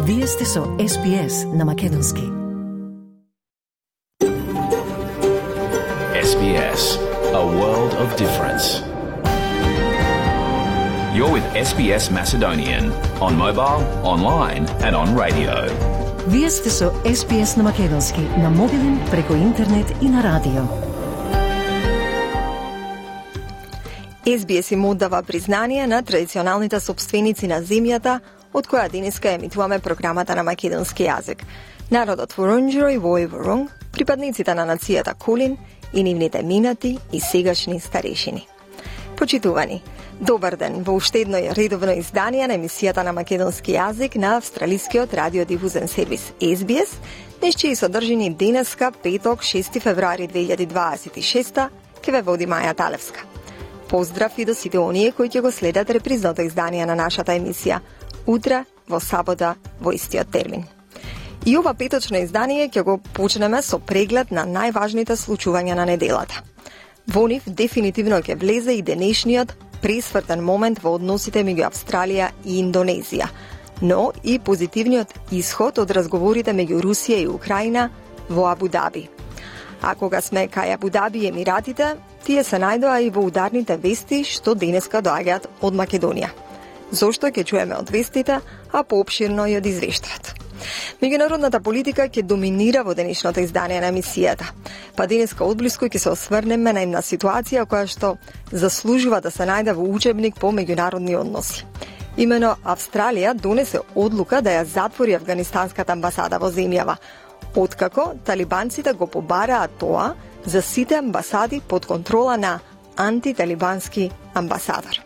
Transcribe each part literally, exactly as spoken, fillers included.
Вие сте со Ес Би Ес на Македонски. Ес Би Ес, a world of difference. You're with Ес Би Ес Macedonian on mobile, online and on radio. Вие сте со Ес Би Ес на Македонски, на мобилен, преку интернет и на радио. Ес Би Ес им оддава признание на традиционалните собственици на земјата, од која денеска емитуваме програмата на македонски јазик. Народот Вурунџеро и Вој Вурунг, припадниците на нацијата Кулин и нивните минати и сегашни старешини. Почитувани, добар ден во уште едно редовно издание на емисијата на македонски јазик на австралискиот радиодифузен сервис Ес Би Ес, днес чии содржини денеска, петок, шести февруари две илјади дваесет и шеста, ке ве води Маја Талевска. Поздрав и до сите оние кои ќе го следат репризното издание на нашата емисија, утре, во сабота, во истиот термин. И ова петочно издание ќе го почнеме со преглед на најважните случувања на неделата. Во нив дефинитивно ќе влезе и денешниот пресвртен момент во односите меѓу Австралија и Индонезија, но и позитивниот исход од разговорите меѓу Русија и Украина во Абу Даби. А кога сме кај Абу Даби и Емиратите, тие се најдоа и во ударните вести што денеска доаѓаат од Македонија. Зошто ќе чуеме од вестите, а поопширно и од извештајот. Меѓународната политика ќе доминира во денешното издание на емисијата. Па денеска одблиску ќе се осврнеме на една ситуација која што заслужува да се најде во учебник по меѓународни односи. Имено Австралија донесе одлука да ја затвори афганистанската амбасада во земјава, откако талибанците го побараат тоа за сите амбасади под контрола на антиталибански амбасадор.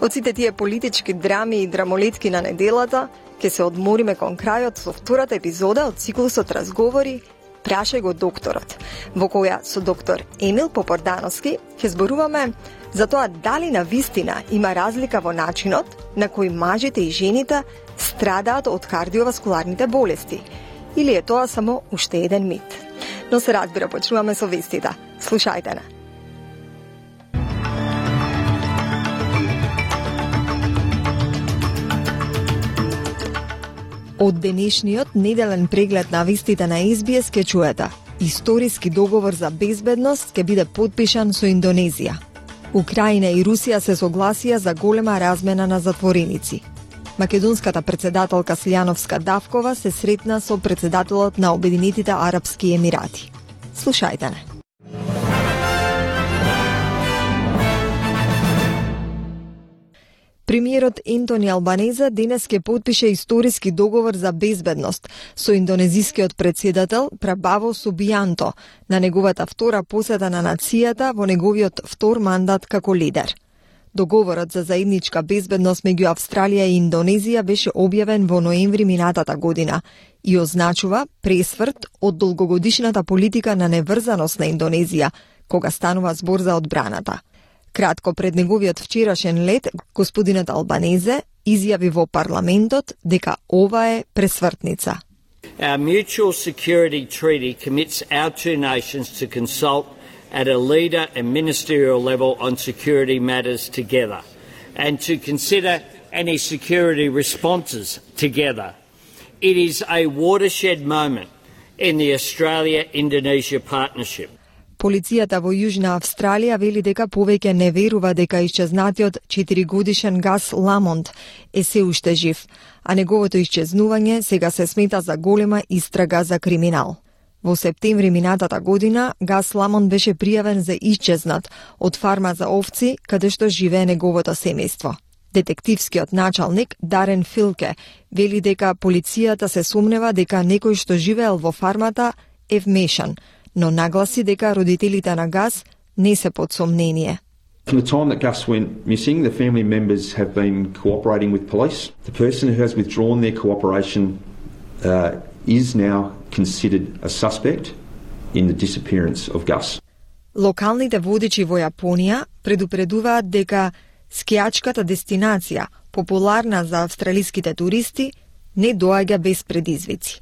Од сите тие политички драми и драмолетки на неделата, ќе се одмориме кон крајот со втората епизода од циклусот Разговори Прашај го докторот, во која со доктор Емил Попордановски ќе зборуваме за тоа дали на вистина има разлика во начинот на кој мажите и жените страдаат од кардиоваскуларните болести, или е тоа само уште еден мит. Но се разбира, почнуваме со вестите. Слушајте на. Од денешниот неделен преглед на вестите на Ес Би Ес ке чуете: историски договор за безбедност ќе биде потпишан со Индонезија. Украина и Русија се согласија за голема размена на затвореници. Македонската председателка Слјановска Давкова се сретна со председателот на Обединетите Арапски Емирати. Слушајте не. Премиерот Ентони Албанезе денес ќе потпише историски договор за безбедност со индонезискиот председател Прабаво Субијанто на неговата втора посета на нацијата во неговиот втор мандат како лидер. Договорот за заедничка безбедност меѓу Австралија и Индонезија беше објавен во ноември минатата година и означува пресврт од долгогодишната политика на неврзаност на Индонезија, кога станува збор за одбраната. Кратко пред неговиот вчерашен лет, господинот Албанезе изјави во парламентот дека ова е пресвртница. Our mutual security treaty commits our two nations to consult at a leader and ministerial level on security matters together and to consider any security responses together. It is a watershed moment in the Australia-Indonesia partnership. Полицијата во Јужна Австралија вели дека повеќе не верува дека исчезнатиот четиригодишен Гас Ламонт е се уште жив, а неговото исчезнување сега се смета за голема истрага за криминал. Во септември минатата година Гас Ламонт беше пријавен за исчезнат од фарма за овци каде што живее неговото семејство. Детективскиот началник Дарен Филке вели дека полицијата се сумнева дека некој што живеел во фармата е вмешан, но нагласи дека родителите на Гас не се под сомнение. From the time that Gus went missing, the family members have been cooperating with police. The person who has withdrawn their cooperation uh, is now considered a suspect in the disappearance of Gus. Локалните водичи во Јапонија предупредуваат дека скијачката дестинација, популарна за австралиските туристи, не доаѓа без предизвици.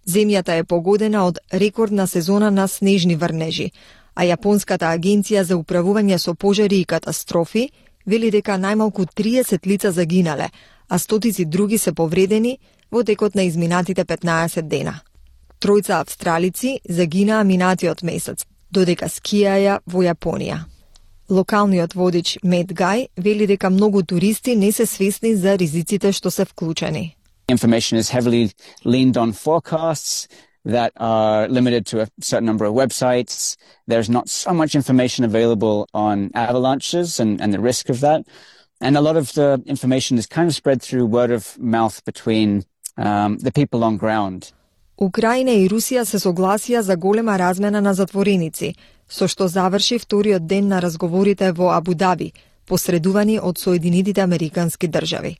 Земјата е погодена од рекордна сезона на снежни врнежи, а Јапонската агенција за управување со пожари и катастрофи вели дека најмалку триесет лица загинале, а стотици други се повредени во текот на изминатите петнаесет дена. Тројца австралици загинаа минатиот месец, додека скијаја во Јапонија. Локалниот водич Мет Гај вели дека многу туристи не се свесни за ризиците што се вклучени. Information is heavily leaned on forecasts that are limited to a certain number of websites. There's not so much information available on avalanches and, and the risk of that. And a lot of the information is kind of spread through word of mouth between um, the people on ground. Украина и Русија се согласија за голема размена на затвореници, со што заврши вториот ден на разговорите во Абу Даби, посредувани од Соединетите Американски држави.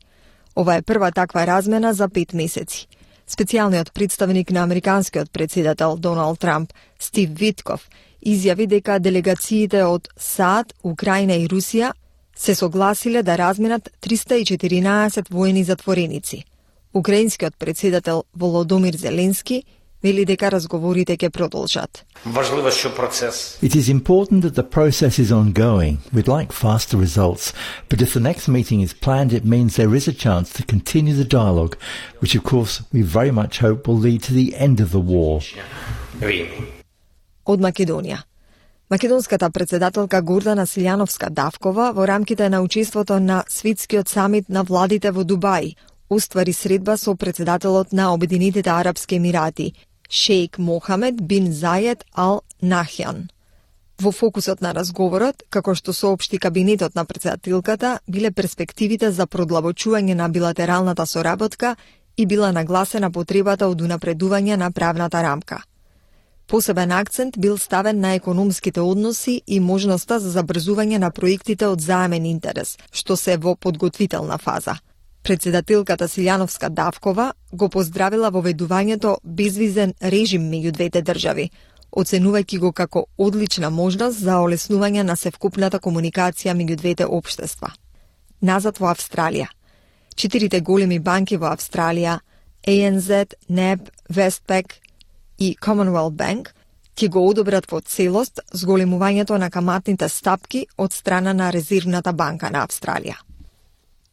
Ова е прва таква размена за пет месеци. Специјалниот представник на американскиот председател Доналд Трамп, Стив Витков, изјави дека делегациите од САД, Украина и Русија се согласиле да разменат триста и четиринаесет воени затвореници. Украинскиот председател Володомир Зеленски вели дека разговорите ќе продолжат. It is important that the process is ongoing. We'd like faster results, but if the next meeting is planned, it means there is a chance to continue the dialogue, which of course we very much hope will lead to the end of the war. Од Македонија. Македонската председателка Гордана Силјановска-Давкова во рамките на учеството на Светскиот самит на владите во Дубај оствари средба со председателот на Обединетите Арапски Емирати, Шејк Мохамед бин Заед Ал Нахјан. Во фокусот на разговорот, како што соопшти кабинетот на председателката, биле перспективите за продлабочување на билатералната соработка и била нагласена потребата од унапредување на правната рамка. Посебен акцент бил ставен на економските односи и можноста за забрзување на проектите од заемен интерес, што се во подготвителна фаза. Председателката Силјановска-Давкова го поздравила воведувањето безвизен режим меѓу двете држави, оценувајќи го како одлична можност за олеснување на севкупната комуникација меѓу двете општества. Назад во Австралија. Четирите големи банки во Австралија, А Н З, Н E B, Westpac и Commonwealth Bank, ќе го одобрат во целост зголемувањето на каматните стапки од страна на Резервната банка на Австралија.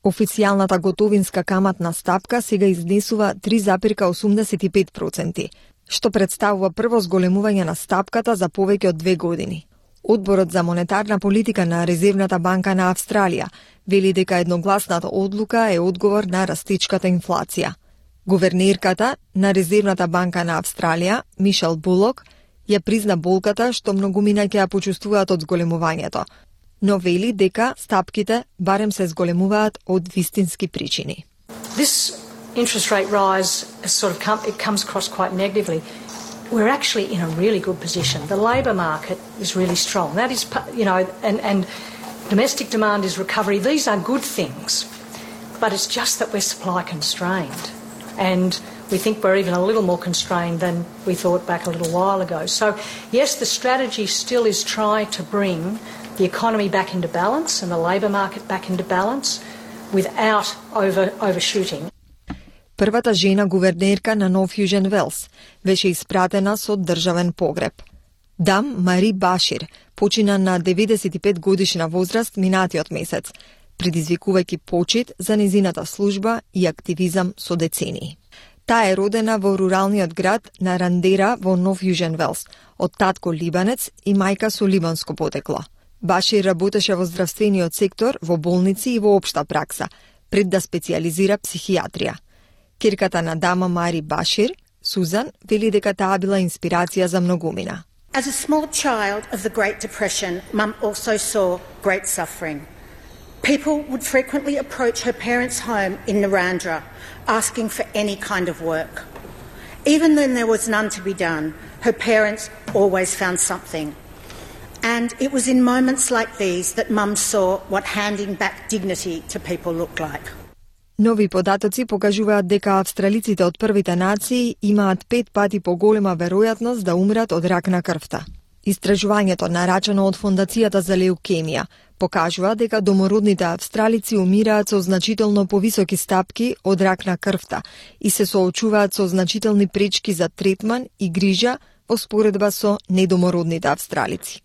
Официјалната готовинска каматна стапка сега изнесува три запирка осумдесет и пет проценти, што представува прво зголемување на стапката за повеќе од две години. Одборот за монетарна политика на Резервната банка на Австралија вели дека едногласната одлука е одговор на растечката инфлација. Гувернерката на Резервната банка на Австралија, Мишел Булок, ја призна болката што многумина ќе ја почувствуваат од зголемувањето, но вели дека стапките барем се зголемуваат од вистински причини. This interest rate rise has sort of come, it comes across quite negatively. We're actually in a really good position. The labour market is really strong. That is, you know, and, and domestic demand is recovery. These are good things, but it's just that we're supply constrained. And we think we're even a little more constrained than we thought back a little while ago. So, yes, the strategy still is try to bring the economy back into balance and the labour market back into balance without over, overshooting. Првата жена гувернерка на Нов Јужен Велс беше испратена со државен погреб. Дам Мари Башир почина на деветдесет и пет годишна возраст минатиот месец, предизвикувајќи почит за незината служба и активизам со децении. Таа е родена во руралниот град на Рандера во Нов Јужен Велс, од татко либанец и мајка со либанско потекло. Башир работеше во здравствениот сектор, во болници и во општа пракса, пред да специјализира психијатрија. Керката на дама Мари Башир, Сузан, вели дека таа била инспирација за многумина. As a small child of the Great Depression, Mum also saw great suffering. People would frequently approach her parents' home in Narrandera, asking for any kind of work. Even when there was none to be done, her parents always found something. And it was in moments like these that Mum saw what handing back dignity to people looked like. Нови податоци покажуваат дека австралиците од првите нации имаат пет пати поголема веројатност да умрат од рак на крвта. Истражувањето нарачено од Фондацијата за леукемија покажува дека домородните австралици умираат со значително повисоки стапки од рак на крвта и се соочуваат со значителни пречки за третман и грижа во споредба со недомородните австралици.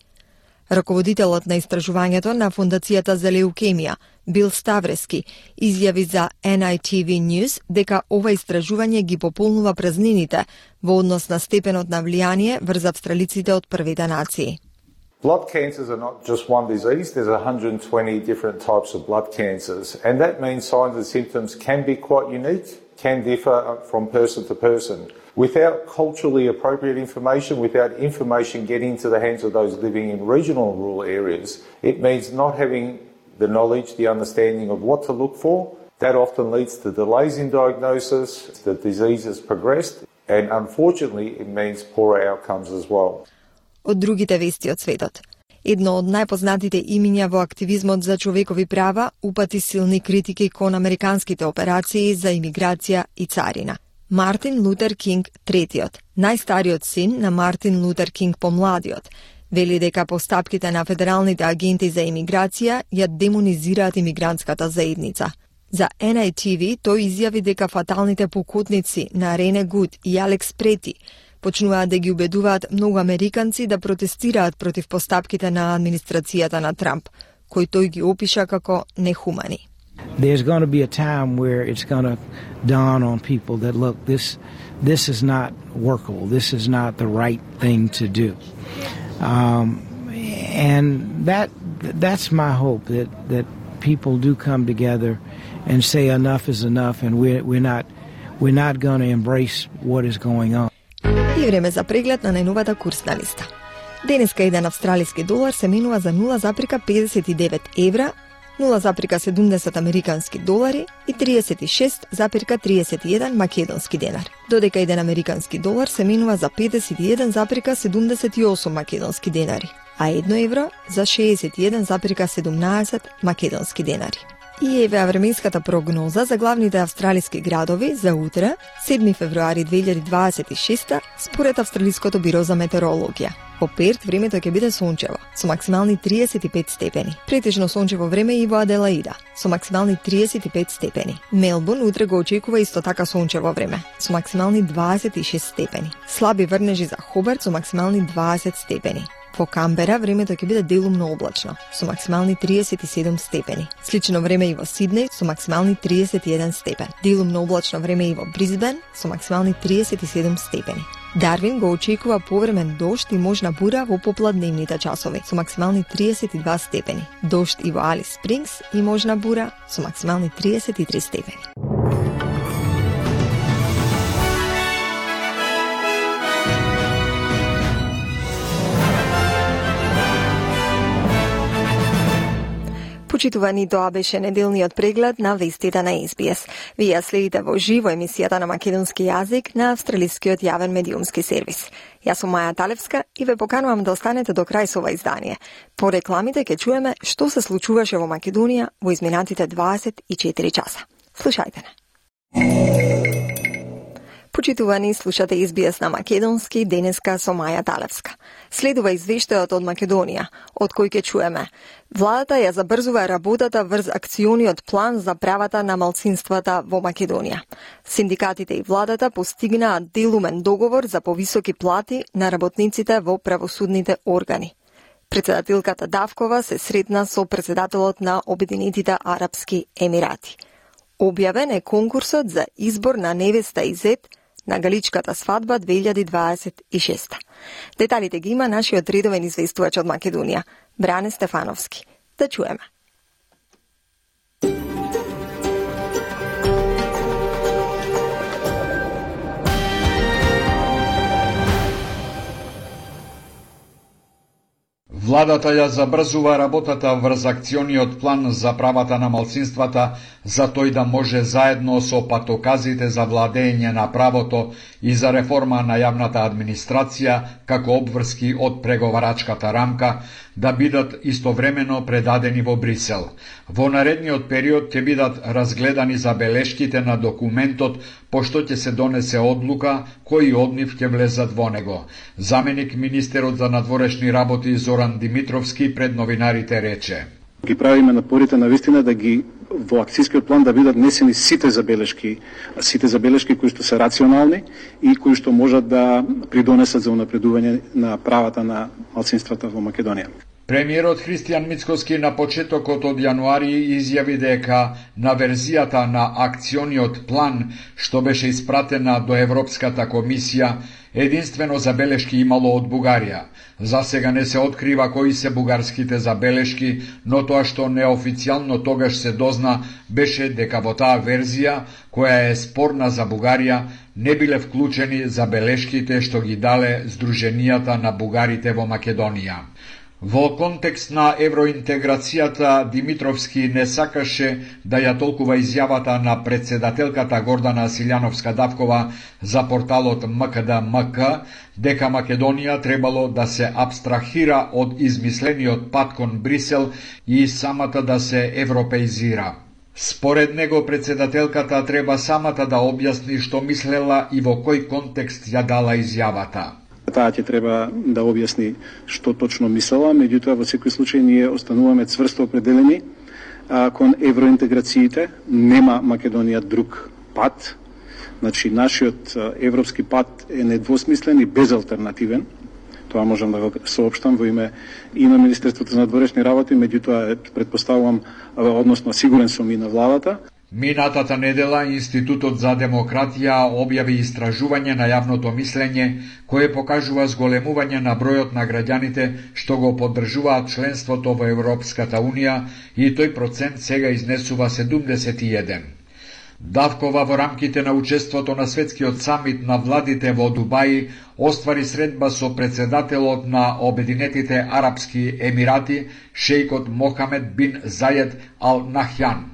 Раководителот на истражувањето на Фондацијата за леукемија, Бил Ставрески, изјави за Ен Ай Ти Ви News дека ова истражување ги пополнува празнините во однос на степенот на влијание врз австралиците од првите нации. Blood cancers are not just one disease, there's one hundred twenty different types of blood cancers, and that means signs and symptoms can be quite unique, can differ from person to person. Without culturally appropriate information, without information getting to the hands of those living in regional and rural areas, it means not having the knowledge, the understanding of what to look for. That often leads to delays in diagnosis, the disease has progressed, and unfortunately it means poorer outcomes as well. Од другите вести од светот. Едно од најпознатите имиња во активизмот за човекови права упати силни критики кон американските операции за имиграција и царина. Мартин Лутер Кинг третиот, најстариот син на Мартин Лутер Кинг помладиот, вели дека постапките на федералните агенти за имиграција ја демонизираат имигрантската заедница. За Ен Ай Ти Ви тој изјави дека фаталните покутници на Рене Гуд и Алекс Прети почнуваат да ги убедуваат многу американци да протестираат против постапките на администрацијата на Трамп, кој тој ги опиша како нехумани. There's going to be a time where it's going to dawn on people that look, this this is not workable. This is not the right thing to do. Um, and that that's my hope, that that people do come together and say enough is enough, and we're we're not we're not going to embrace what is going on. И време за преглед на најновата курсна листа. Денеска еден австралиски долар се менува за нула запирка педесет и девет евра, нула запирка седумдесет американски долари и триесет и шест запирка триесет и еден македонски денар. Додека еден американски долар се менува за педесет и еден запирка седумдесет и осум македонски денари, а едно евро за шеесет и еден запирка седумнаесет македонски денари. И еве временската прогноза за главните австралиски градови за утре, седми февруари две илјади дваесет и шеста, според Австралиското биро за метеорологија. Во Перт времето ќе биде сончево, со максимални триесет и пет степени. Претежно сончево време и во Аделаида, со максимални триесет и пет степени. Мелбурн утре го очекува исто така сончево време, со максимални дваесет и шест степени. Слаби врнежи за Хобарт со максимални дваесет степени. Во Камбера времето ќе биде делумно облачно, со максимални триесет и седум степени. Слично време и во Сиднеј со максимални триесет и еден степен. Делумно облачно време и во Брисбен со максимални триесет и седум степени. Дарвин го очекува повремен дожд и можна бура во попладневните часови со максимални триесет и два степени. Дожд и во Алис Спрингс и можна бура со максимални триесет и три степени. Почитувани, тоа беше неделниот преглед на вестите на Ес Би Ес. Вие следите во живо емисијата на македонски јазик на австралискиот јавен медиумски сервис. Јас сум Маја Талевска и ве поканувам да останете до крај со ова издание. По рекламите ќе чуеме што се случуваше во Македонија во изминатите дваесет и четири часа. Слушајте не. Почитувани, слушате Ес Би Ес на македонски, денеска со Маја Талевска. Следува извештајот од Македонија, од кој ќе чуеме. Владата ја забрзува работата врз акциониот план за правата на малцинствата во Македонија. Синдикатите и владата постигнаат делумен договор за повисоки плати на работниците во правосудните органи. Председателката Давкова се сретна со председателот на Обединетите Арапски Емирати. Објавен е конкурсот за избор на невеста и зет на Галичката свадба две илјади дваесет и шеста. Деталите ги има нашиот редовен известувач од Македонија, Бране Стефановски. Да чуеме. Владата ја забрзува работата врз акциониот план за правата на малцинствата, за тој да може заедно со патоказите за владење на правото и за реформа на јавната администрација како обврски од преговарачката рамка да бидат истовремено предадени во Брисел. Во наредниот период ќе бидат разгледани забелешките на документот, пошто ќе се донесе одлука кои од нив ќе влезат во него. Заменик министерот за надворешни работи Зоран Димитровски пред новинарите рече: Ги правиме напорите на вистина да ги во акцијскиот план да бидат несени сите забелешки, сите забелешки кои што се рационални и кои што можат да придонесат за унапредување на правата на малцинствата во Македонија. Премиерот Христијан Мицкоски на почетокот од јануари изјави дека на верзијата на акциониот план, што беше испратена до Европската комисија, единствено забелешки имало од Бугарија. За сега не се открива кои се бугарските забелешки, но тоа што неофицијално тогаш се дозна беше дека во таа верзија, која е спорна за Бугарија, не биле вклучени забелешките што ги дале Сдруженијата на бугарите во Македонија. Во контекст на евроинтеграцијата, Димитровски не сакаше да ја толкува изјавата на председателката Гордана Силјановска-Давкова за порталот М К Д М К, дека Македонија требало да се абстрахира од измислениот пат кон Брисел и самата да се европеизира. Според него, председателката треба самата да објасни што мислела и во кој контекст ја дала изјавата. Таа ќе треба да објасни што точно мислела, меѓутоа во секој случај ние остануваме цврсто определени а, кон евроинтеграциите. Нема Македонија друг пат. Значи, нашиот европски пат е недвосмислен и безалтернативен. Тоа можам да го соопштам во име и на Министерството на надворешни работи, меѓутоа предпоставувам, односно сигурен сум и на владата. Минатата недела Институтот за демократија објави истражување на јавното мислење, кое покажува зголемување на бројот на граѓаните што го поддржуваат членството во Европската Унија и тој процент сега изнесува седумдесет и еден. Давкова во рамките на учеството на светскиот самит на владите во Дубај оствари средба со председателот на Обединетите Арапски Емирати, шејкот Мохамед бин Заед Ал Нахјан.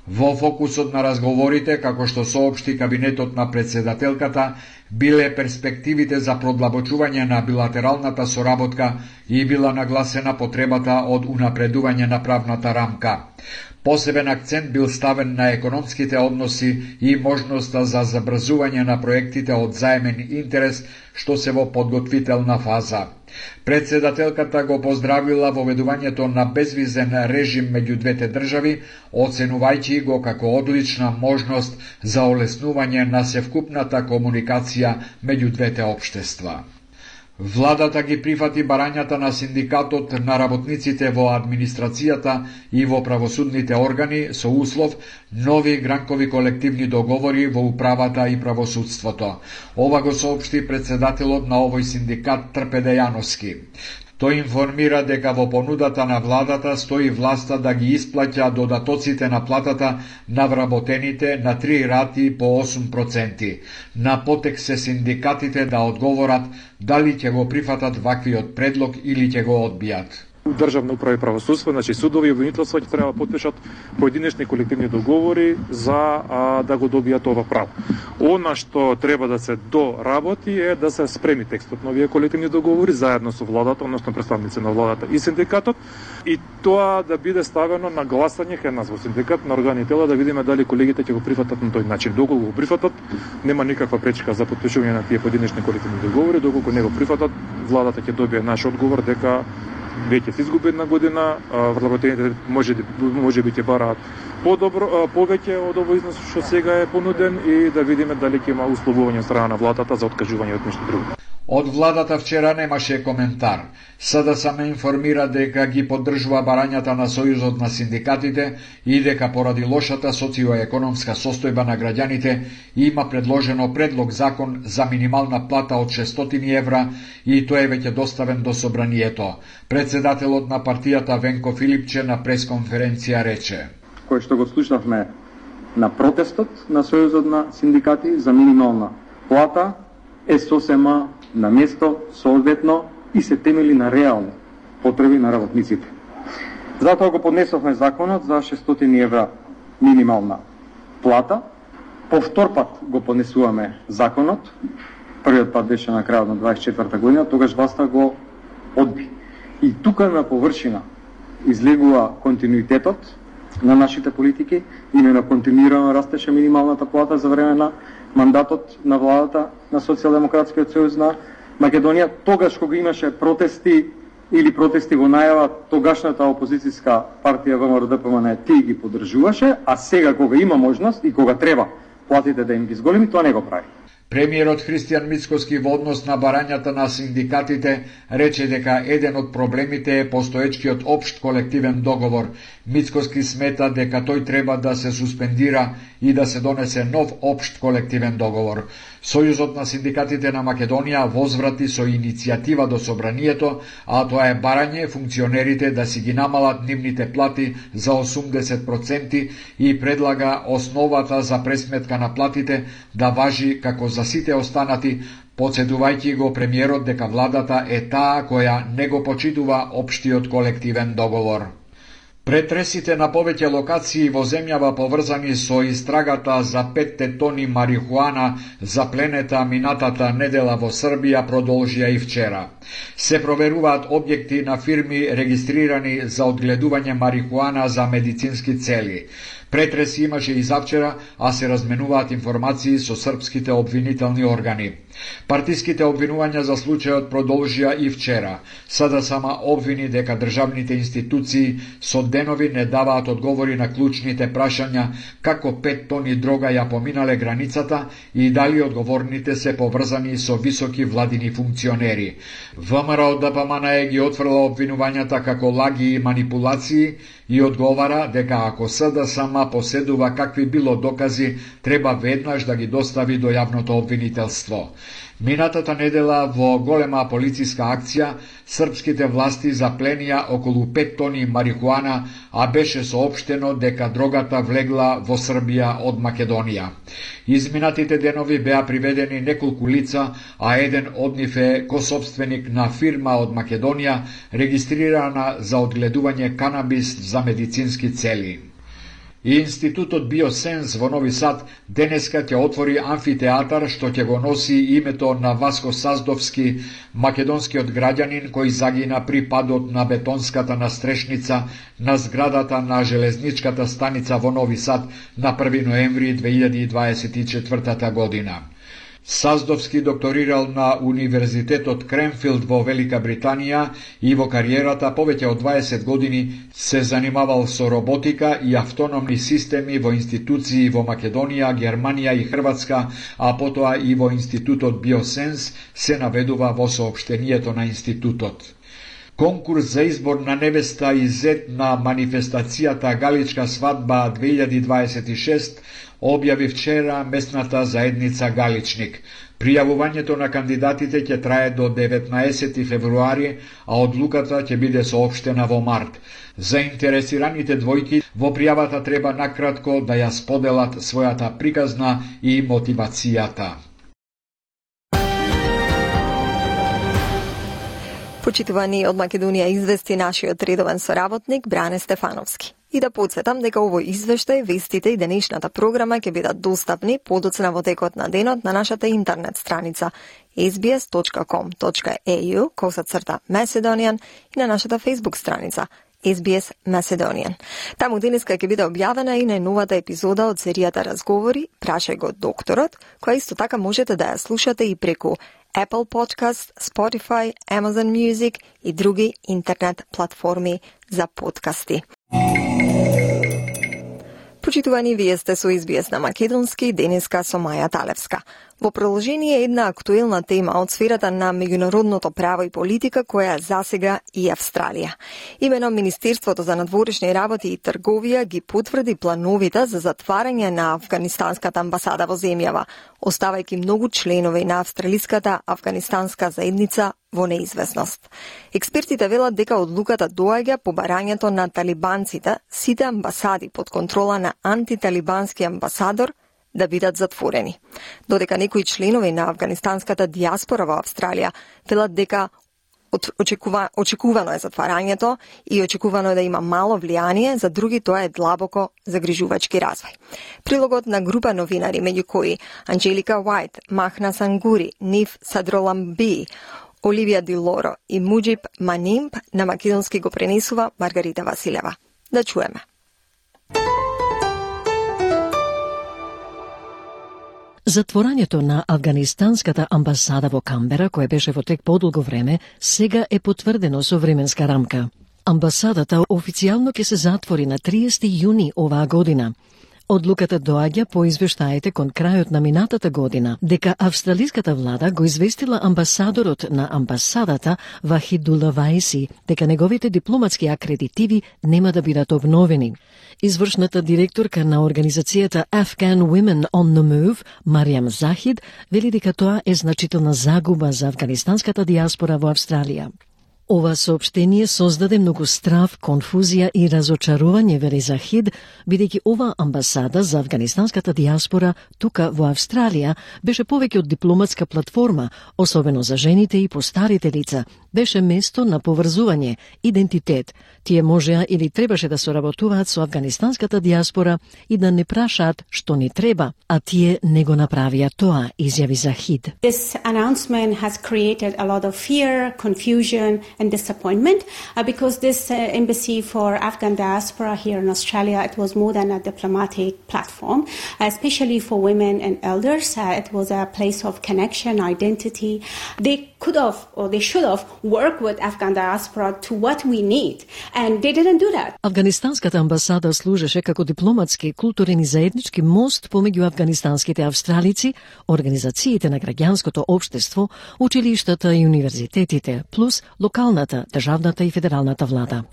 Во фокусот на разговорите, како што соопшти кабинетот на председателката, биле перспективите за продлабочување на билатералната соработка и била нагласена потребата од унапредување на правната рамка. Посебен акцент бил ставен на економските односи и можноста за забрзување на проектите од заемен интерес, што се во подготвителна фаза. Председателката го поздравила воведувањето на безвизен режим меѓу двете држави, оценувајќи го како одлична можност за олеснување на севкупната комуникација меѓу двете општества. Владата ги прифати барањата на синдикатот на работниците во администрацијата и во правосудните органи со услов нови гранкови колективни договори во управата и правосудството. Ова го соопшти председателот на овој синдикат Трпе Дејановски. Тој информира дека во понудата на владата стои власта да ги исплаќа додатоците на платата на вработените на три рати по осум проценти. На потек се синдикатите да одговорат дали ќе го прифатат ваквиот предлог или ќе го одбијат. Државна управа и правосудство, значи судови и обвинителство ќе треба да потпишат поединечни колективни договори за а, да го добијат ова право. Она што треба да се доработи е да се спреми текстот на овие колективни договори заедно со владата, односно представници на владата и синдикатот, и тоа да биде ставено на гласање кај нас во синдикат на органи и тела, да видиме дали колегите ќе го прифатат на тој начин. Доколку го прифатат, нема никаква пречка за потпишување на тие поединечни колективни договори. Доколку не го прифатат, владата ќе добие наш одговор дека веќе се изгуби една година, вработените може може би ќе бараат подобро, повеќе од овој износ што сега е понуден, и да видиме дали ќе има условување од страна на владата за откажување од нешто друго. Од владата вчера немаше коментар. СДСМ информира дека ги поддржува барањата на Сојузот на синдикатите и дека поради лошата социоекономска состојба на граѓаните има предложено предлог закон за минимална плата од шестстотини евра и тој е веќе доставен до собранието. Председателот на партијата Венко Филипче на пресконференција рече: кој што го слушнавме на протестот на Сојузот на синдикати за минимална плата е сосема на место, соодветно и се темели на реални потреби на работниците. Затоа го поднесовме законот за шестстотини евра минимална плата. По втор пат го поднесуваме законот. Првиот пат беше на крајот на дваесет и четврта година, тогаш власта го одби. И тука на површина излегува континуитетот на нашите политики, именно континуирано растеше минималната плата за време на мандатот на владата на Социјалдемократскиот сојуз на Македонија. Тогаш кога имаше протести или протести во најава, тогашната опозицијска партија ВМРО Д П М Н тие ги поддржуваше, а сега кога има можност и кога треба платите да им ги зголеми, тоа не го прави. Премиерот Христијан Мицкоски во однос на барањата на синдикатите рече дека еден од проблемите е постоечкиот општ колективен договор. Мицкоски смета дека тој треба да се суспендира и да се донесе нов општ колективен договор. Сојузот на синдикатите на Македонија возврати со иницијатива до собранието, а тоа е барање функционерите да си ги намалат нивните плати за осумдесет проценти и предлага основата за пресметка на платите да важи како за сите останати, подсетувајќи го премиерот дека владата е таа која не го почитува општиот колективен договор. Претресите на повеќе локации во земјава поврзани со истрагата за петте тони марихуана запленета минатата недела во Србија продолжија и вчера. Се проверуваат објекти на фирми регистрирани за одгледување марихуана за медицински цели. Претреси имаше и завчера, а се разменуваат информации со српските обвинителни органи. Партиските обвинувања за случајот продолжија и вчера. Сада сама обвини дека државните институции со денови не даваат одговори на клучните прашања како пет тони дрога ја поминале границата и дали одговорните се поврзани со високи владини функционери. ВМРО ДПМНЕ ги отфрла обвинувањата како лаги и манипулации и одговара дека ако СДСМ поседува какви било докази, треба веднаш да ги достави до јавното обвинителство. Минатата недела во голема полициска акција, српските власти запленија околу пет тони марихуана, а беше соопштено дека дрогата влегла во Србија од Македонија. Изминатите денови беа приведени неколку лица, а еден од нив е косопственик на фирма од Македонија, регистрирана за одгледување канабис за медицински цели. И Институтот Биосенс во Нови Сад денеска ќе отвори амфитеатар што ќе го носи името на Васко Саздовски, македонскиот граѓанин кој загина при падот на бетонската настрешница на зградата на железничката станица во Нови Сад на први ноември две илјади дваесет и четвртата година. Саздовски докторирал на Универзитетот Кренфилд во Велика Британија и во кариерата повеќе од дваесет години се занимавал со роботика и автономни системи во институции во Македонија, Германија и Хрватска, а потоа и во Институтот Биосенс, се наведува во соопштението на институтот. Конкурс за избор на невеста и зет на манифестацијата Галичка свадба две илјади дваесет и шест објави вчера местната заедница Галичник. Пријавувањето на кандидатите ќе трае до деветнаесети февруари, а одлуката ќе биде соопштена во март. Заинтересираните двојки во пријавата треба накратко да ја споделат својата приказна и мотивацијата. Почитувани од Македонија извести нашиот редовен соработник Бране Стефановски. И да подсетам дека овој извештај, вестите и денешната програма ќе бидат достапни подоцна во текот на денот на нашата интернет страница ес би ес точка ком точка ей ю косацрта Macedonian и на нашата Facebook страница ес би ес Macedonian. Таму денеска ќе биде објавена и најновата епизода од серијата Разговори, прашај го докторот, која исто така можете да ја слушате и преку Apple Podcast, Spotify, Amazon Music и други интернет платформи за подкасти. Почитувани, вие сте со ес би ес на македонски, денеска со Маја Талевска. Во продолжение една актуелна тема од сферата на меѓународното право и политика која засега и Австралија. Имено Министерството за надворешни работи и трговија ги потврди плановите за затварање на афганистанската амбасада во земјава, оставајќи многу членови на австралиската афганистанска заедница во неизвестност. Експертите велат дека одлуката доаѓа по барањето на талибанците сите амбасади под контрола на антиталибански амбасадор да бидат затворени. Додека некои членови на афганистанската диаспора во Австралија велат дека очекува, очекувано е затварањето и очекувано е да има мало влијание, за други тоа е длабоко загрижувачки развој. Прилогот на група новинари, меѓу кои Анджелика Уајт, Махна Сангури, Ниф Садроламби, Оливија Дилоро и Муџиб Манимб, на македонски го пренесува Маргарита Василева. Да чуеме. Затворањето на афганистанската амбасада во Камбера, кое беше во тек подолго време, сега е потврдено со временска рамка. Амбасадата официјално ќе се затвори на триесети јуни оваа година. Одлуката доаѓа по извештаите кон крајот на минатата година дека австралиската влада го известила амбасадорот на амбасадата Вахидула Ваиси дека неговите дипломатски акредитиви нема да бидат обновени. Извршната директорка на организацијата Afghan Women on the Move, Мариам Захид, вели дека тоа е значителна загуба за афганистанската диаспора во Австралија. Ова соопштение создаде многу страв, конфузија и разочарување, вели Захид, бидејќи ова амбасада за афганистанската диаспора тука во Австралија беше повеќе од дипломатска платформа, особено за жените и постарите лица, беше место на поврзување, идентитет. Тие можеа или требаше да соработуваат со афганистанската диаспора и да не прашаат што ни треба, а тие не го направија тоа, изјави Захид. This announcement has created a lot of fear, confusion and disappointment uh, because this uh, embassy for Afghan diaspora here in Australia, it was more than a diplomatic platform, uh, especially for women and elders. Uh, it was a place of connection, identity. They could have or they should have worked with Afghan diaspora to what we need, and they didn't do that. Афганистанската амбасада служеше како дипломатски, културен и заеднички мост помеѓу афганистанските австралици, организациите на граѓанското општество, училиштата и универзитетите, плюс локалната, државната и федералната влада.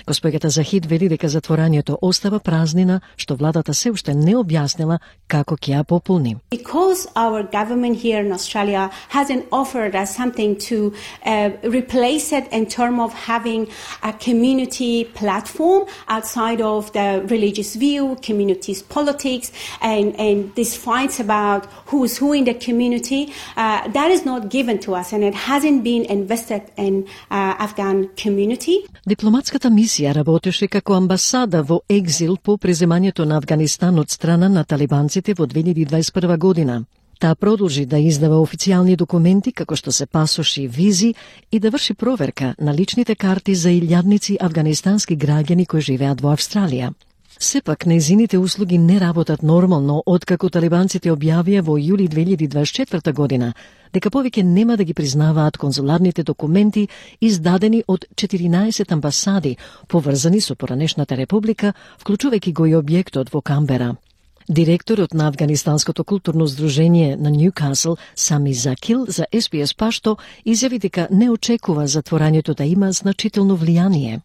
Госпоѓата Захид вели дека затворањето остава празнина, што владата се уште не објаснила како ќе ја пополни. Because our government here in Australia hasn't offered us something to uh, replace it in terms of having a community platform outside of the religious view, communities politics, and, and these fights about who is who in the community, uh, that is not given to us and it hasn't been invested in uh, Afghan community. Дипломатската мисија работеше како амбасада во екзил по преземањето на Афганистан од страна на талибанците во две илјади дваесет и прва година. Таа продолжи да издава официјални документи како што се пасоши и визи и да врши проверка на личните карти за илјадници афганистански граѓани кои живеат во Австралија. Сепак, нејзините услуги не работат нормално откако талибанците објавија во јули две илјади дваесет и четврта година дека повеќе нема да ги признаваат конзуларните документи издадени од четиринаесет амбасади поврзани со поранешната република, вклучувајќи го и објектот во Камбера. Директорот на Афганистанското културно здружение на Ньюкасл, Сами Закил, за Ес Би Ес Пашто изјави дека не очекува затворањето да има значително влијание.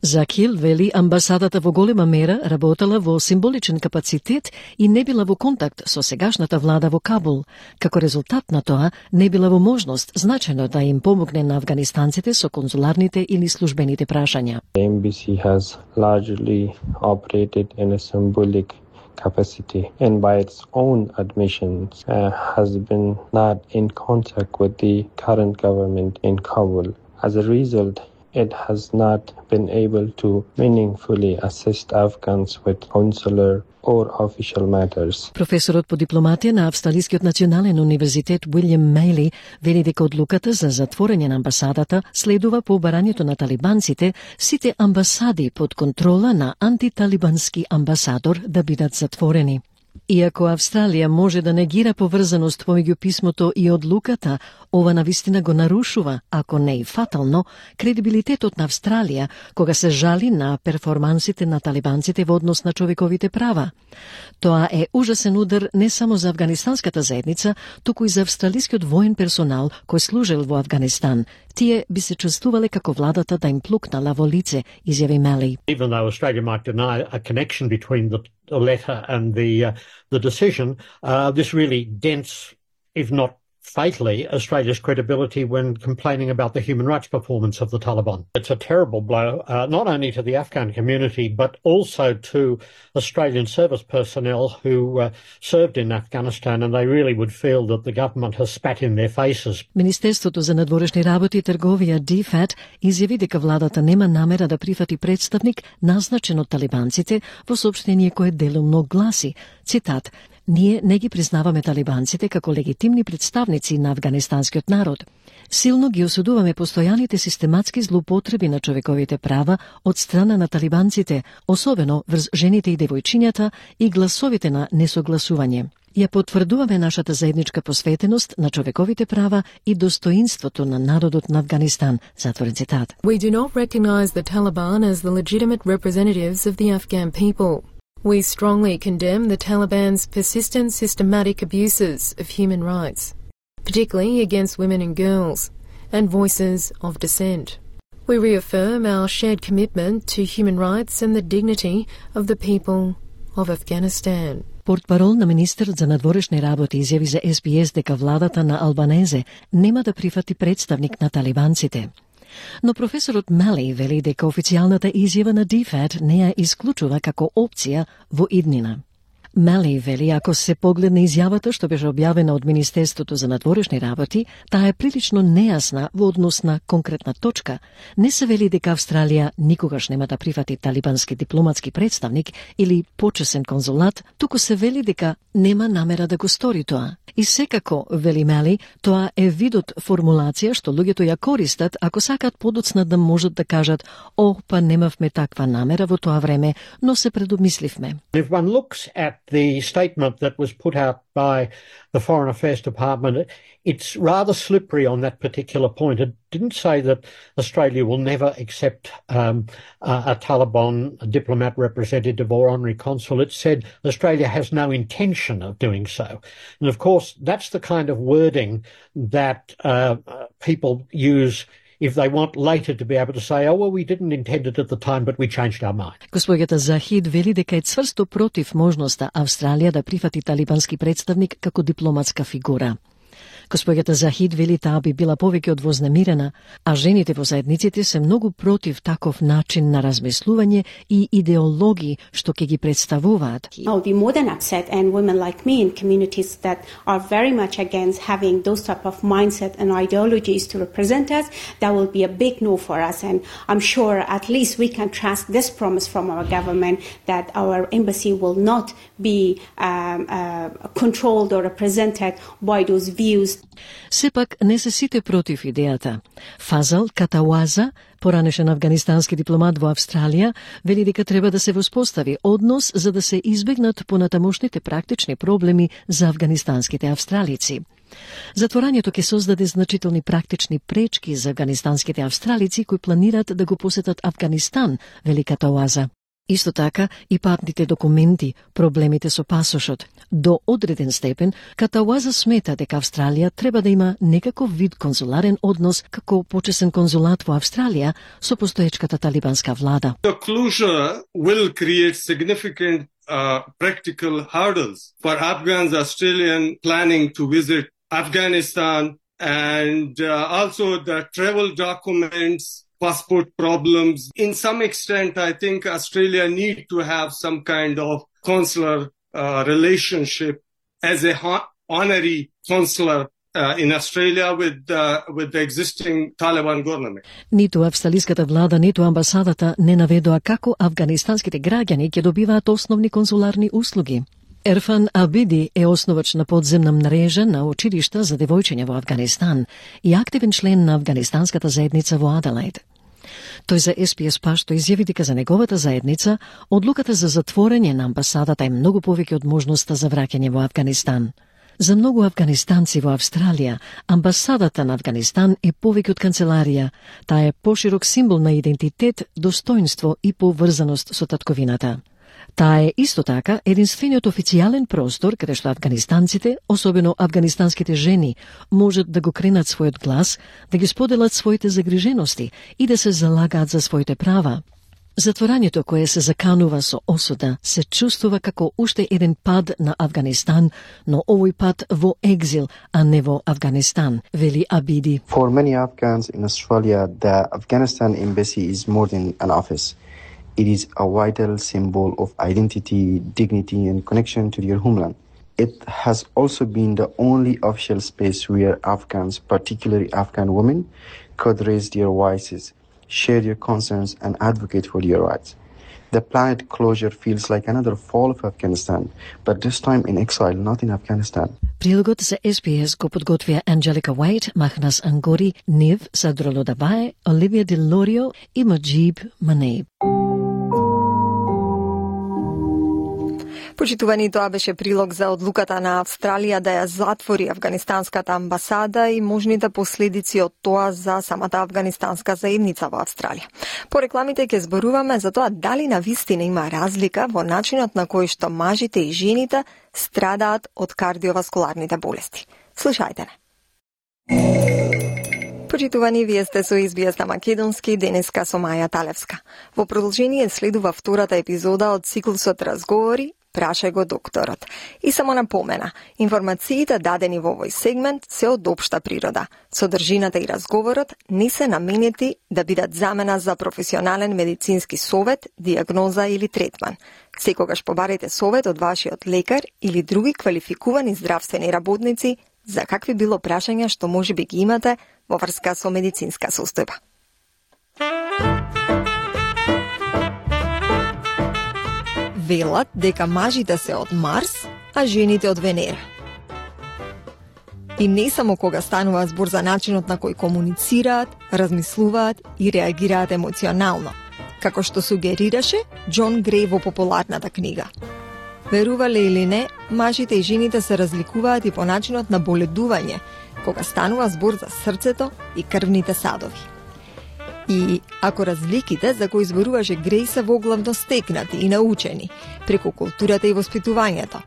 Закил вели амбасадата во голема мера работела во символичен капацитет и не била во контакт со сегашната влада во Кабул. Како резултат на тоа, не била во можност значајно да им помогне на афганистанците со конзуларните или службените прашања. The embassy has largely operated in a symbolic capacity and by its own admissions uh, has been not in contact with the current government in Kabul. As a result, it has not been able to meaningfully assist Afghans with consular or official matters. Професорот по дипломатија на Австралискиот национален универзитет Уилјам Мејли вели дека одлуката за затворање на амбасадата следува по барањето на талибанците сите амбасади под контрола на антиталибански амбасадор да бидат затворени. Иако Австралија може да негира поврзаност помеѓу писмото и одлуката, ова навистина го нарушува, ако не и фатално, кредибилитетот на Австралија кога се жали на перформансите на талибанците во однос на човековите права. Тоа е ужасен удар не само за афганистанската заедница, туку и за австралискиот воен персонал кој служел во Афганистан. Тие би се чувствувале како владата да им плукнала во лице, изјави Мели. Even though Australia might deny a connection between the the letter and the uh, the decision, uh, this really dents, if not fatally, Australia's credibility when complaining about the human rights performance of the Taliban. It's a terrible blow, uh, not only to the Afghan community, but also to Australian service personnel who uh, served in Afghanistan, and they really would feel that the government has spat in their faces. Министерството за надворешни работи и трговија Ди Фат изјави дека владата нема намера да прифати представник назначен од талибанците во соопштение кое делумно гласи, цитат, "Ние не ги признаваме талибанците како легитимни представници на афганистанскиот народ. Силно ги осудуваме постојаните систематски злоупотреби на човековите права од страна на талибанците, особено врз жените и девојчињата и гласовите на несогласување. Ја потврдуваме нашата заедничка посветеност на човековите права и достоинството на народот на Афганистан", затворен цитат. We do not recognize the Taliban as the legitimate representatives of the Afghan people. We strongly condemn the Taliban's persistent systematic abuses of human rights, particularly against women and girls, and voices of dissent. We reaffirm our shared commitment to human rights and the dignity of the people of Afghanistan. Портпарол на министерот за надворешни работи изјави за Ес Би Ес дека владата на Албанезе нема да прифати представник на талибанците. Но професорот Мали вели дека официјалната изјава на Ди Фат не ја исклучува како опција во иднина. Мали вели ако се погледне изјавата што беше објавена од Министерството за надворешни работи, таа е прилично нејасна во однос на конкретна точка. Не се вели дека Австралија никогаш нема да прифати талибански дипломатски представник или почесен конзулат, туку се вели дека нема намера да го стори тоа. И секако, вели Мали, тоа е видот формулација што луѓето ја користат ако сакаат подоцна да можат да кажат «О, па немавме таква намера во тоа време, но се предомисливме». If one looks at the statement that was put out by the Foreign Affairs Department, it's rather slippery on that particular point. It didn't say that Australia will never accept um, a, a Taliban a diplomat representative or honorary consul. It said Australia has no intention of doing so. And of course, that's the kind of wording that uh, people use if they want later to be able to say, oh, well, we didn't intend it at the time, but we changed our mind. Госпоѓата Захид вели дека е цврсто против можноста Австралија да прифати талибански представник како дипломатска фигура. Госпоѓата Захид вели таа би била повеќе од вознемирена, а жените во заедниците се многу против таков начин на размислување и идеологии што ќе ги представуваат. I'll be more than upset, and women like me in communities that are very much against having those type of mindset and ideologies to represent us, that will be a big no for us, and I'm sure at least we can trust this promise from our government that our embassy will not be um, uh, controlled or represented by those views. Сепак не се сите против идејата. Фазал Катауаза, поранешен афганистански дипломат во Австралија, вели дека треба да се воспостави однос за да се избегнат понатамошните практични проблеми за афганистанските австралици. Затворањето ќе создаде значителни практични пречки за афганистанските австралици кои планираат да го посетат Афганистан, вели Катауаза. Исто така и патните документи, проблемите со пасошот. До одреден степен, Катауаза смета дека Австралија треба да има некаков вид конзуларен однос како почесен конзулат во Австралија со постоечката талибанска влада. The closure will create significant uh, practical hurdles for Afghans Australian planning to visit Afghanistan, and uh, also the travel documents, passport problems. In some extent, I think Australia need to have some kind of consular uh, relationship as a honorary consular uh, in Australia with uh, with the existing Taliban government. Ниту австралиската влада, ниту амбасадата не наведоа како афганистанските граѓани ќе добиваат основни конзуларни услуги. Ерфан Абиди е основач на подземна мрежа на училишта за девојчиња во Афганистан и активен член на афганистанската заедница во Аделаид. Тој за Ес Би Ес Пашто изјави дека за неговата заедница одлуката за затворање на амбасадата е многу повеќе од можноста за враќање во Афганистан. За многу афганистанци во Австралија, амбасадата на Афганистан е повеќе од канцеларија. Таа е поширок символ на идентитет, достоинство и поврзаност со татковината. Таа е исто така единствениот официјален простор каде што афганистанците, особено афганистанските жени, можат да го кренат својот глас, да ги споделат своите загрижености и да се залагаат за своите права. Затворањето кое се заканува со осуда се чувствува како уште еден пад на Афганистан, но овој пат во екзил, а не во Афганистан, вели Абиди. For many Afghans in Australia, the Afghanistan embassy is more than an office. It is a vital symbol of identity, dignity, and connection to their homeland. It has also been the only official space where Afghans, particularly Afghan women, could raise their voices, share their concerns, and advocate for their rights. The planned closure feels like another fall of Afghanistan, but this time in exile, not in Afghanistan. Прилогот за Ес Би Ес го подготвија Анджелика Уајт, Махнас Ангори, Нив Садролодаваe, Оливија Делорио и Маджиб Манеиб. Почитувани, тоа беше прилог за одлуката на Австралија да ја затвори афганистанската амбасада и можните последици од тоа за самата афганистанска заедница во Австралија. По рекламите ќе зборуваме за тоа дали навистина има разлика во начинот на кој што мажите и жените страдаат од кардиоваскуларните болести. Слушајте не. Почитувани, вие сте со Ес Би Ес на Македонски, денеска со Маја Талевска. Во продолжение следува втората епизода од циклусот Разговори, Прашај го докторот. И само напомена, информациите дадени во овој сегмент се од општа природа. Содржината и разговорот не се наменети да бидат замена за професионален медицински совет, диагноза или третман. Секогаш побарете совет од вашиот лекар или други квалификувани здравствени работници за какви било прашања што може би ги имате во врска со медицинска состојба. Велат дека мажите се од Марс, а жените од Венера. И не само кога станува збор за начинот на кој комуницираат, размислуваат и реагираат емоционално, како што сугерираше Џон Греј во популарната книга. Верувале или не, мажите и жените се разликуваат и по начинот на боледување, кога станува збор за срцето и крвните садови. И ако разликите за кои зборуваше Греј се воглавно стекнати и научени, преку културата и воспитувањето,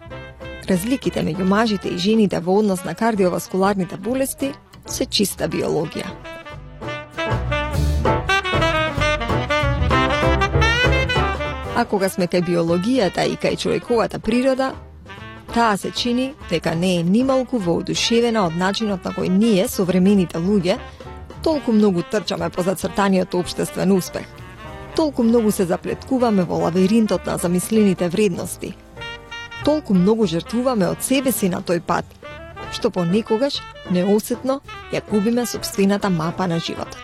разликите меѓу мажите и жените во однос на кардиоваскуларните болести се чиста биологија. А кога сме кај биологијата и кај човековата природа, таа се чини дека не е нималку воодушевена од начинот на кој ние, современите луѓе, толку многу трчаме по зацртаниот општествен успех. Толку многу се заплеткуваме во лавиринтот на замислените вредности. Толку многу жртвуваме од себе си на тој пат, што понекогаш неосетно ја губиме сопствената мапа на животот.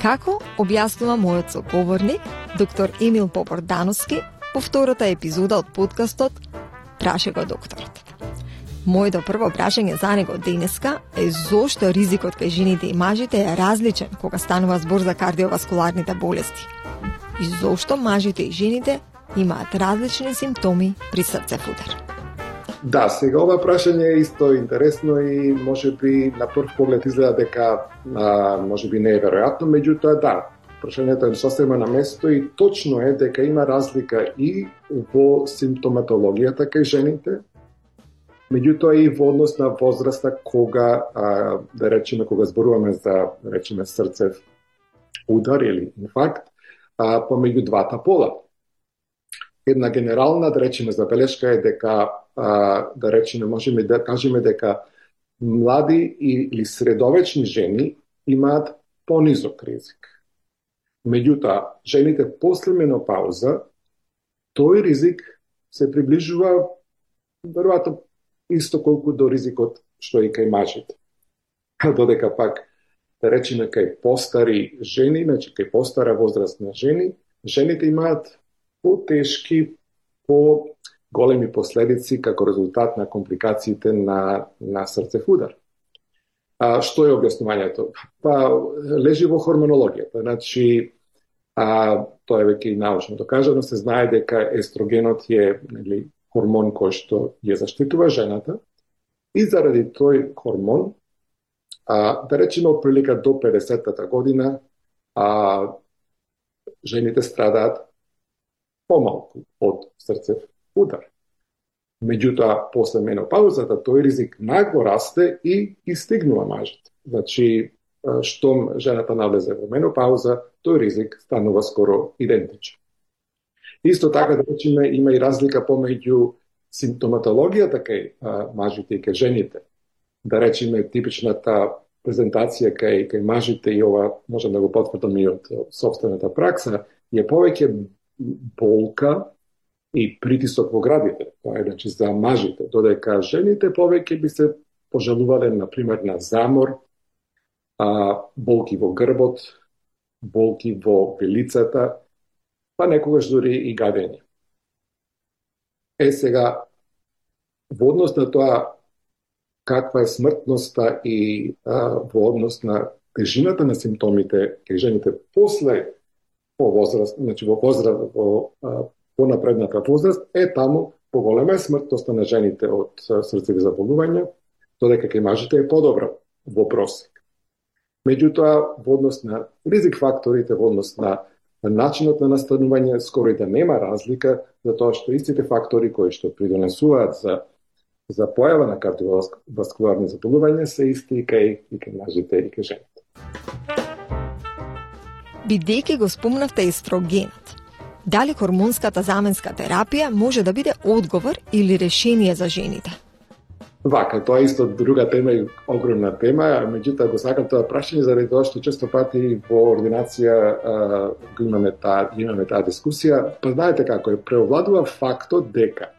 Како објаснува мојот соговорник, доктор Емил Попордановски, во втората епизода од подкастот Прашај го докторот. Моето прво прашање за него денеска е зошто ризикот кај жените и мажите е различен кога станува збор за кардиоваскуларните болести. И зошто мажите и жените имаат различни симптоми при срцев удар. Да, сега ова прашање е исто интересно и можеби на прв поглед изгледа дека а, можеби не е веројатно, меѓутоа да, прашањето е сосема на место и точно е дека има разлика и во симптоматологијата кај жените, меѓутоа и во однос на возраста кога, а, да речеме, кога зборуваме за, да речеме, срцев удар или инфаркт, а, помеѓу двата пола. Една генерална, да речеме, забелешка е дека, а, да речеме, можеме да кажеме дека млади или средовечни жени имаат понизок ризик. Меѓутоа, жените после менопауза, тој ризик се приближува веројатно исто колку до ризикот што и кај мажите. Додека пак, да речеме, кај постари жени, значи кај постара возрастна жени, жените имаат потешки, по-големи последици како резултат на компликациите на, на срцев удар. А, што е објаснувањето? Па, лежи во хормонологијата. Значи, а, тоа е веќе и научно докажано, се знае дека естрогенот е, нели, хормон кој што ја заштитува жената и заради тој хормон, а, да речеме, од прилика до педесетата година, а, жените страдаат помалку од срцев удар. Меѓутоа, после менопаузата, тој ризик нагло расте и истигнува мажите. Значи, штом жената навлезе во менопауза, тој ризик станува скоро идентичен. Исто така, да речеме, има и разлика помеѓу симптоматологијата кај а, мажите и кај жените. Да речеме, типичната презентација кај, кај мажите, и ова можем да го потврдам и од собствената пракса, е повеќе болка и притисок во градите. Тоа е, значи, за мажите, додека жените повеќе би се пожалувале, например, на замор, а, болки во грбот, болки во вилицата, па некогаш дури и гадење. Е, сега, во однос на тоа каква е смртноста и а, во однос на тежината на симптомите кај жените после по возраст, значи во возраст, во а, понапредната возраст, е таму поголема е смртноста на жените од срцеви заболувања, додека кај мажите е подобра во просек. Меѓутоа, во однос на ризик факторите, во однос на начинот на настанување, скоро и да нема разлика, затоа што истите фактори кои што придонесуваат за за појава на кардиоваскуларни заболувања се исти и кај и кај мажите и кај жените. Бидејќи го спомнавте естрогенот, дали хормонската заменска терапија може да биде одговор или решение за жените? Вака, тоа е исто друга тема и огромна тема, меѓутоа го сакам тоа прашање заради тоа што често пати во ординација а, имаме таа имаме таа дискусија. Па знаете како е, преовладува фактот дека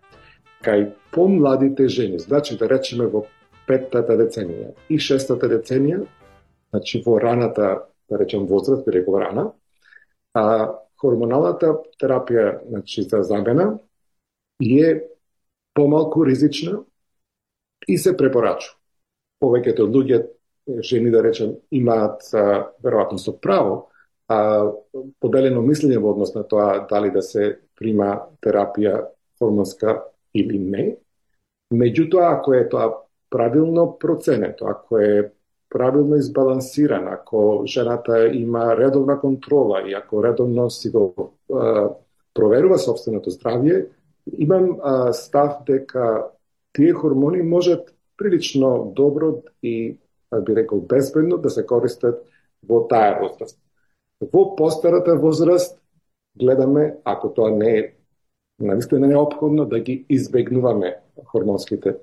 кај помладите жени, значи да речеме во петтата деценија и шестата деценија, значи во раната, да речем возраст, би рекол рана, а хормоналната терапија, значи за замена, е помалку ризична и се препорачува. Повеќето од луѓе, жени да речем, имаат веројатно со право а, поделено мислење во однос на тоа дали да се прима терапија хормонска или не. Меѓутоа, ако е тоа правилно проценето, ако е правилно избалансирана, ако жената има редовна контрола и ако редовно си го а, проверува собственото здравје, имам а, став дека тие хормони можат прилично добро и, би рекол, безбедно да се користат во таа возраст. Во постарата возраст гледаме, ако тоа не е наистина неопходно, да ги избегнуваме хормонските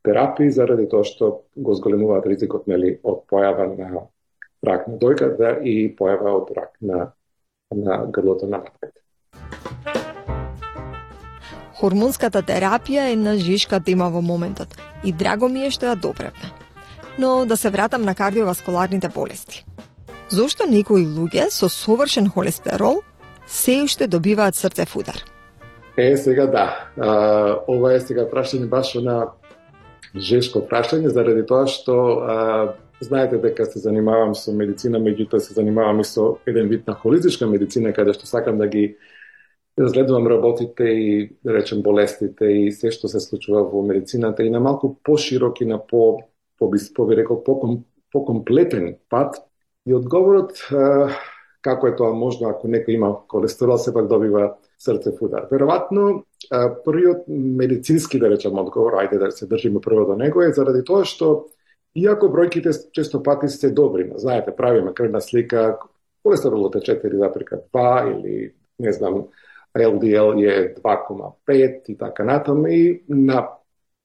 терапии заради тоа што го зголемуваат ризикот, нели, од појава на рак на дојката и појава од рак на, на грлото на матката. Хормонската терапија е една жишка тема во моментот и драго ми е што ја допревме. Но да се вратам на кардиоваскуларните болести. Зошто некои луѓе со совршен холестерол се уште добиваат срцев удар? Е, сега да. А, ова е сега прашање баш на жешко прашање, заради тоа што а, знаете дека се занимавам со медицина, меѓутоа се занимавам и со еден вид на холистичка медицина, каде што сакам да ги разгледувам работите и, да речем, болестите и се што се случува во медицината и на малку поширок и на по, по, по би рекол, по, по комплетен пат. И одговорот, а, како е тоа можно ако некој има холестерол, сепак добива срцев удар. Веројатно, првиот медицински, да речем, одговор, ајде да се држиме прво до него, е заради тоа што, иако бројките често пати се добри, знаете, правиме крвна слика, холестеролот е четири запирка два или, не знам, Ел Ди Ел е два кома пет и така натаму, и на,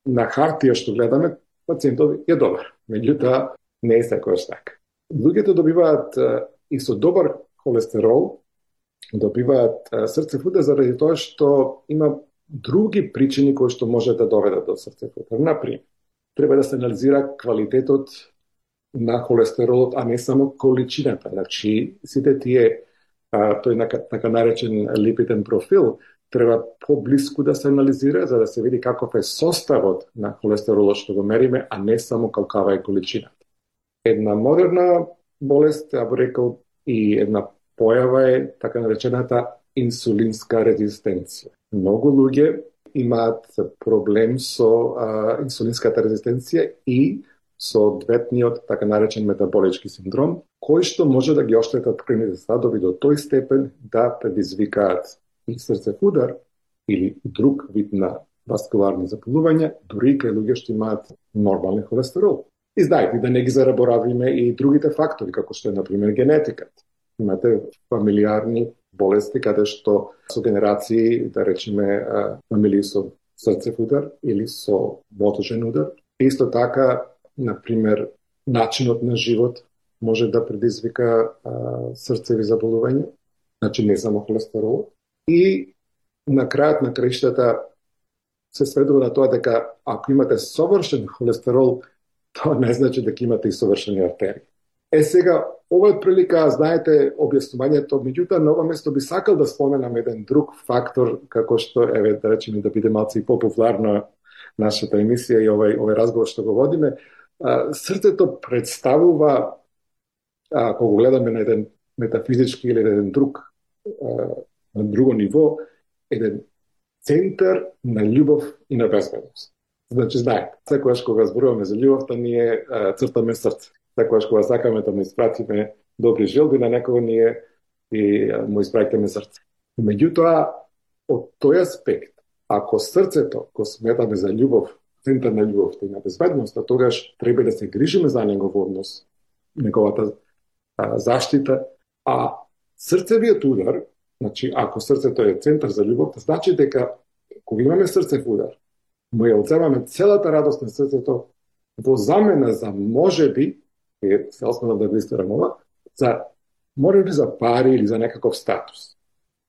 на хартија што гледаме, пациентот е добар. Меѓутоа, не е секојаш така. Луѓето добиваат и со добар холестерол, добиваат срцев удар заради тоа што има други причини кои што може да доведат до срцев удар. Например, треба да се анализира квалитетот на холестеролот, а не само количината. Значи, сите тие, а, тој на, така наречен липиден профил, треба поблиску да се анализира, за да се види каков е составот на холестеролот што го мериме, а не само каква е количината. Една модерна болест, ја би рекол, и една појава е така наречената инсулинска резистенција. Многу луѓе имаат проблем со а, инсулинската резистенција и со одветниот така наречен метаболички синдром, кој што може да ги оштетат крвните садови до тој степен да предизвикаат и срцев удар или друг вид на васкуларни заболувања, дури кај луѓе што имаат нормален холестерол. И знаете, да не ги зараборавиме и другите фактори, како што е, например, генетиката. Имате фамилиарни болести, каде што со генерации, да речеме, фамилии со срцев удар или со мотожен удар. Исто така, например, начинот на живот може да предизвика а, срцеви заболувања, значи не само холестерол. И на крајот на краиштата се сведува на тоа дека ако имате совршен холестерол, тоа не значи дека имате и совршени артерии. Е сега, ова е прилика, знаете, објаснувањето, меѓутоа на ова место би сакал да споменам еден друг фактор, како што, еве, да речеме, да биде малце и популарна нашата емисија и овој, овој разговор што го водиме. А, срцето представува, ако го гледаме на еден метафизички или еден друг, а, на друго ниво, еден центар на љубов и на безбедност. Значи, знаете, секогаш кога зборуваме за љубовта, ние а, цртаме срце. Секогаш кога сакаме да му испратиме добри желби на некого, ние и а, му испраќаме срце. Меѓутоа, од тој аспект, ако срцето го сметаме за љубов, центар на љубовта и на безбедноста, тогаш треба да се грижиме за негов однос, неговата а, заштита, а срцевиот удар, значи, ако срцето е центар за љубовта, значи дека кога имаме срцев удар, му ја одземаме целата радост на срцето во замена за можеби, е се осмелам да го истерам ова, за можеби за пари или за некаков статус.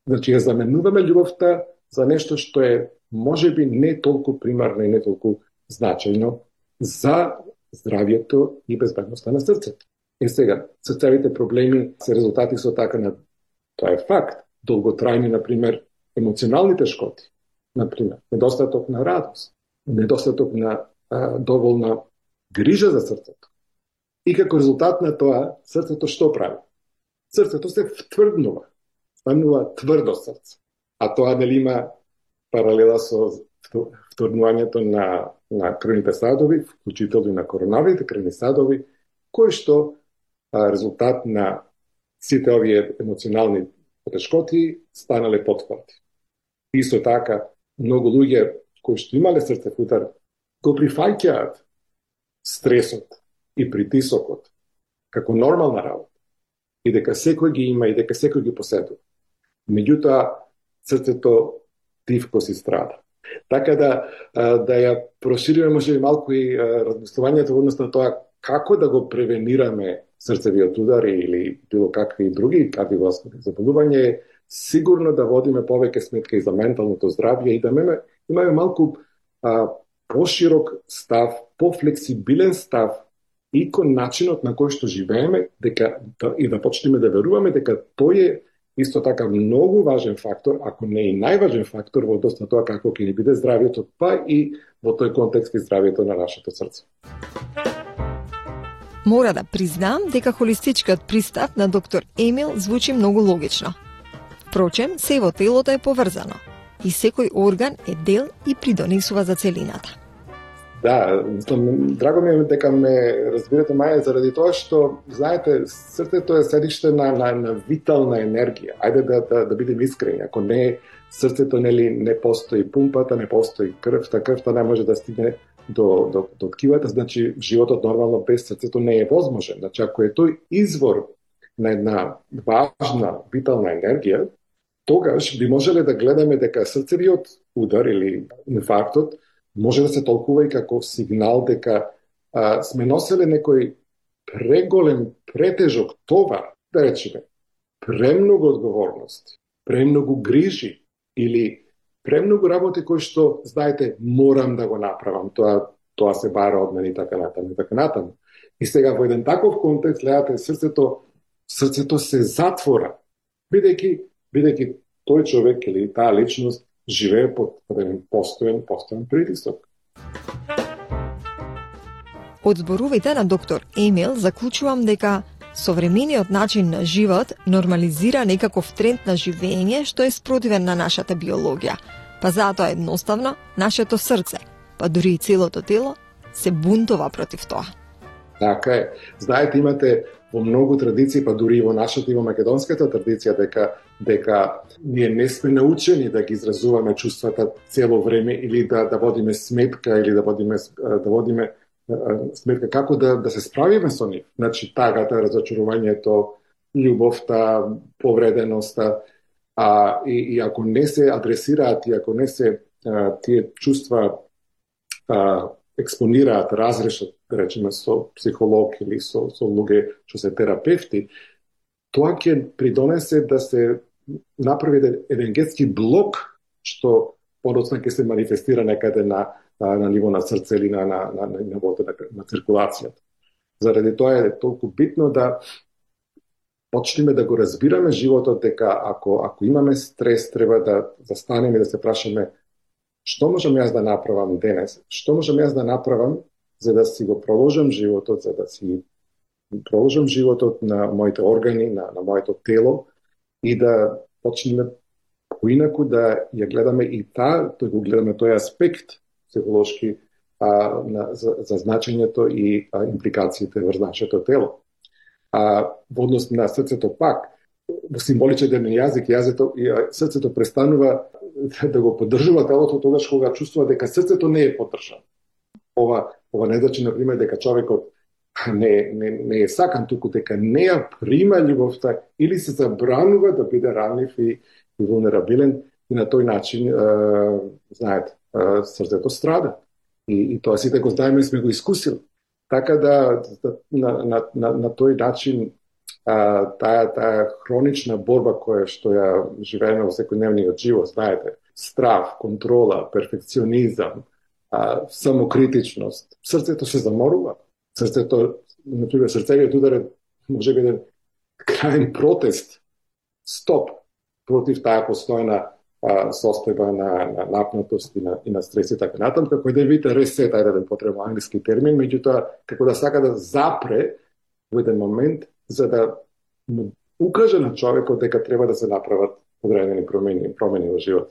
Значи, ја заменуваме љубовта за нешто што е можеби не толку примарно и не толку значајно за здравието и безбедноста на срцето. И сега, срцевите проблеми се резултати со така на, тоа е факт, долготрајни, например, емоционални тешкоти, например, недостаток на радост, недостаток на а, доволна грижа за срцето. И како резултат на тоа, срцето што прави? Срцето се втврднува, станува тврдо срце. А тоа нели има паралела со втврднувањето на, на крвните садови, вклучително и на коронарните крвни садови, кои што а, резултат на сите овие емоционални тешкоти станале потврди. Исто така, многу луѓе кои што имале срцев удар го прифаќаат стресот и притисокот како нормална работа и дека секој ги има и дека секој ги поседува. Меѓутоа, срцето тивко си страда. Така да, да ја прошириме може би малку и размислувањето во однос на тоа како да го превенираме срцевиот удар или било какви други кардиоваскуларни заболувања, сигурно да водиме повеќе сметка и за менталното здравје и да имаме, имаме малку а, поширок став, пофлексибилен став и кон начинот на кој што живееме, дека да, и да почнеме да веруваме дека тој е исто така многу важен фактор, ако не и најважен фактор во однос на тоа како ќе ни биде здравието, па и во тој контекст и здравието на нашето срце. Мора да признам дека холистичкиот пристап на доктор Емил звучи многу логично. Впрочем, се во телото е поврзано и секој орган е дел и придонесува за целината. Да, драго ми е дека ме разбирате, Маја, заради тоа што, знаете, срцето е седиште на, на, на витална енергија. Ајде да, да, да бидем искрени. Ако не срцето, нели, не постои пумпата, не постои крвта, крвта не може да стигне до, до, до ткивата, значи животот нормално без срцето не е возможен. Значи, ако е тој извор на една важна витална енергија, тогаш би можеле да гледаме дека срцевиот удар или инфарктот може да се толкува и како сигнал дека а, сме носеле некој преголем, претежок товар, да речеме, премногу одговорности, премногу грижи или премногу работи кои што, знаете, морам да го направам, тоа, тоа се бара од мене и така натаму, и така натаму. И сега во еден таков контекст, гледате, срцето, срцето се затвора, бидејќи, бидејќи тој човек или таа личност живее под еден постојан, постојан притисок. Од зборувите на доктор Емил заклучувам дека современиот начин на живот нормализира некаков тренд на живење што е спротивен на нашата биологија. Па затоа едноставно нашето срце, па дури и целото тело, се бунтува против тоа. Така е. Знаете, имате во многу традиции, па дури и во нашата и во македонската традиција, дека дека ние не сме научени да ги изразуваме чувствата цело време или да да водиме сметка или да водиме да водиме сметка како да да се справиме со нив. Значи тагата, разочарувањето, љубовта, повреденоста, а и, и ако не се адресираат и ако не се а, тие чувства а, експонираат, разрешат, да речеме, со психолог или со, со луѓе што се терапевти, тоа ќе придонесе да се направи енергетски блок што подоцна ќе се манифестира некаде на, на, на ниво на срце или на, на, на, на нивото на, на циркулацијата. Заради тоа е толку битно да почнеме да го разбираме животот, дека ако, ако имаме стрес, треба да застанеме и да се прашаме што можам јас да направам денес, што можам јас да направам за да си го проложам животот, за да си проложам животот на моите органи, на, на моето тело и да почнеме како инаку да ја гледаме и та, тој го гледаме тој аспект психолошки а, на, за, за значењето и а, импликациите врз нашето тело. А во однос на срцето пак, во символичен јазик, јазето и срцето престанува да го поддржува телото тогаш кога чувствува дека срцето не е поддржано. Ова ова не значи на пример дека човекот не не не е сакан, туку дека не ја прима љубовта или се забранува да биде ранлив и, и вулнерабилен и на тој начин е, знаете, е, срцето страда. И, и тоа сите го знаеме и сме го искусили. Така да, да на, на, на, на тој начин а, таа, таа хронична борба која што ја живееме во секојдневниот живот, знаете, страв, контрола, перфекционизам, а, самокритичност, срцето се заморува. Срцето, например, срцевиот удар е може би еден крајен протест, стоп, против таа постојна а, состојба на, на напнатост и на, и на стрес и така натаму, како да видите ресет, ајде да потребува англиски термин, меѓутоа како да сака да запре во еден момент за да му укаже на човекот дека треба да се направат одредени промени, промени во живот.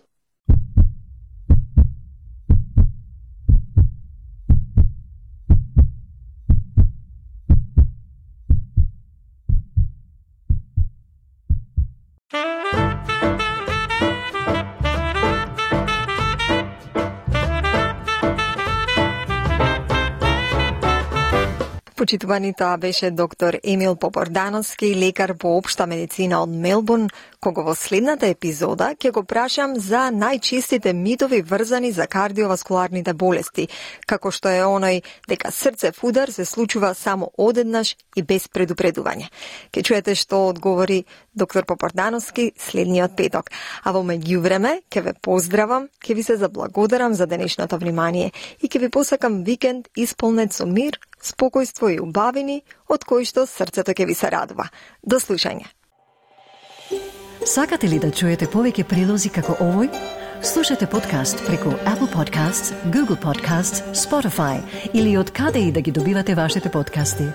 Почитувани, тоа беше доктор Емил Попордановски, лекар по општа медицина од Мелбурн, кого во следната епизода ќе го прашам за најчестите митови врзани за кардиоваскуларните болести, како што е оној дека срцев удар се случува само одеднаш и без предупредување. Ке чуете што одговори доктор Попордановски следниот петок. А во меѓувреме, ќе ве поздравам, ќе ви се заблагодарам за денешното внимание и ќе ви посакам викенд исполнет со мир, спокојство и убавини, од кои што срцето ќе ви се радува. До слушање. Сакате ли да чуете повеќе прилози како овој? Слушате подкаст преку Apple Podcasts, Google Podcasts, Spotify или од каде и да ги добивате вашите подкасти.